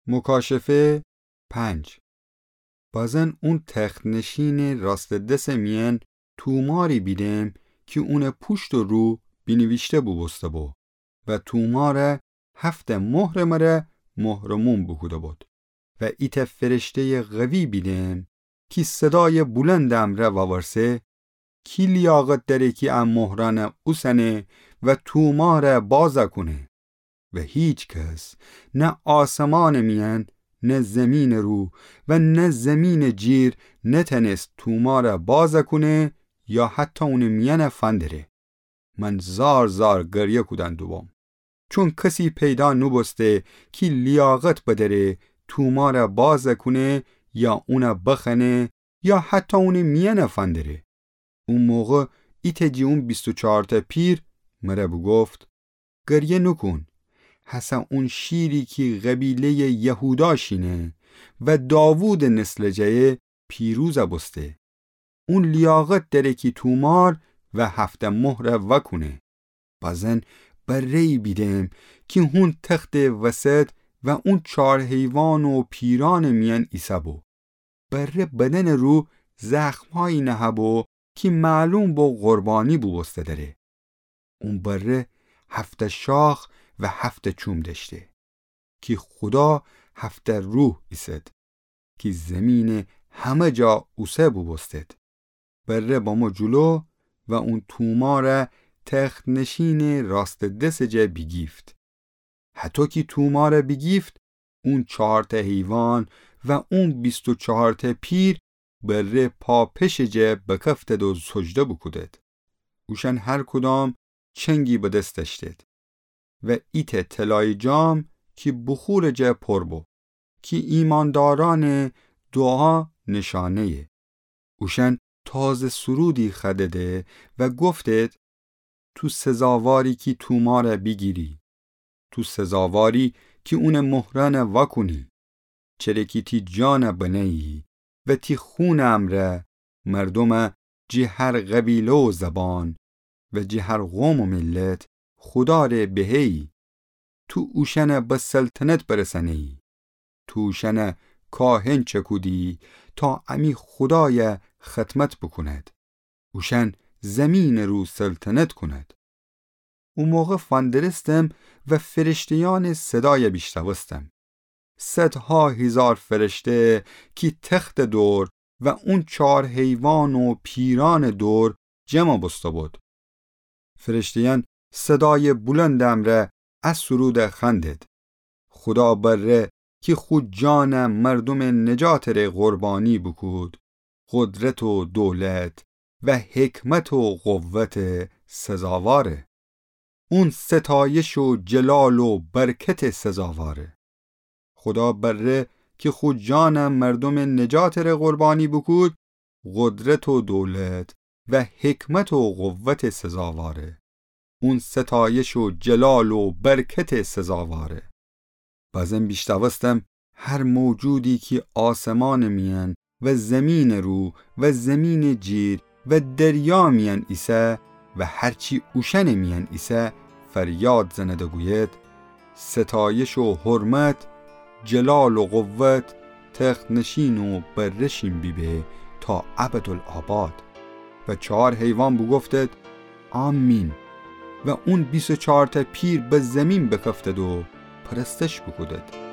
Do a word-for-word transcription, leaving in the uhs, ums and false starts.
مکاشفه پنج. بازن اون تخت‌نشینٚ راستٚ دسٚ میأن توماری بیدم کی اونٚ پوشت و رو بینیویشته بوبوسته بو و تومار هفت مهرٚ مره مهرموم بوکوده بود. و ایتأ فرشته‌یٚ قوی بیدم کی صدایٚ بلندٚ امرأ وورسه: کی لیاقت دأره کی ا مهرأن اوسنه و تومار بازَ کونه؟ و هیکس، نه آسمانٚ میأن، نه زیمینٚ رو و نه زیمینٚ جیر نتأنست تومار بازَ کونه یا حتی اونٚ میأن فندره. من زار زار گریه کودن دوبوم، چون کسی پیدا نوبوسته کی لیاقت بدأره تومار بازَ کونه یا اون بخوأنه یا حتی اونٚ میأن فندره. او موقع ایتأ جٚه اون بیست و چارتأ پیر مره بوگفت: گریه نوکون، هسه اون شیری کی قبیله‌یٚ یهودا شینه و داوودٚ نسلٚ جأیه پیروز بوسته. اون لیاقت دأره کی تومار و هفت مهر وأکونه. بازن بره‌یی بیدم کی هون تختٚ وسط و اون چار حیوان و پیرأنٚ میأن ایسه‌بو. بره بدنٚ رو زخمهایی نهه‌بو کی معلوم بو قربانی بوبوسته دأره. اون بره هفت شاخ و هفت چوم دأشته کی خودا هفت روح ایسد کی زیمینٚ همه جا اوسه بوبوستد. بره بمو جلو و اون تومار تخت‌نشینٚ راستٚ دسٚ جا بیگیفت. هطو کی تومار بیگیفت، اون چارتأ حیوان و اون بیست و چارتأ پیر بره پا پشٚ جا بکفتد و سجده بوکودد. اوشأن هر کدام چنگی به دس دأشتد و ایتأ طلایی جام کی بخورٚ جا پر بو، کی ایماندارأنٚ دوعا نشانه‌یه. اوشأن تازه سرودی خوأدده و گفتد: تو سزاواری کی تومار بیگیری. تو سزاواری کی اونٚ مهرأن وأکونی. چره کی تی جان بنه‌یی و تی خونٚ امرأ مردوم جٚه هر قبیله و زبان و جٚه هر قوم و میلت خودا ره بهه‌یی. تو اوشأن به سلطنت برسأنه‌یی. تو اوشأن کاهن چکودی تا امی خودای خدمت بوکوند. اوشأن زیمینٚ رو سلطنت کونند. او موقع فندرستم و فرشته‌یأنٚ صدای بیشنوستم. صدها هیزار فرشته کی تختٚ دور و اون چار حیوان و پیرأنٚ دور جمع بوسته بود. فرشته‌یأن صدای بلندٚ امرأ ا سرود خوأندد: خودا بره کی خو جان مردومٚ نجاتٚ ره قربانی بوکود، قدرت و دولت و حکمت و قوت سزاواره. اون ستایش و جلال و برکت سزاواره. خودا بره کی خو جان مردومٚ نجاتٚ ره قربانی بوکود، قدرت و دولت و حکمت و قوت سزاواره. اون ستایش و جلال و برکت سزاواره. بازم بیشنوستم هر موجودی کی آسمانٚ میأن و زیمینٚ رو و زیمینٚ جیر و دریا میأن ایسه و هر چی اوشأنٚ میأن ایسه فریاد زند و گوید: ستایش و حرمت، جلال و قوت، تخت‌نشین و بره‌شین بیبه تا ابدالآباد. و چهار حیوان بوگفتد: آمین. و اون بیست و چهارتأ پیر به زیمین بکفتد و پرستش بوکودد.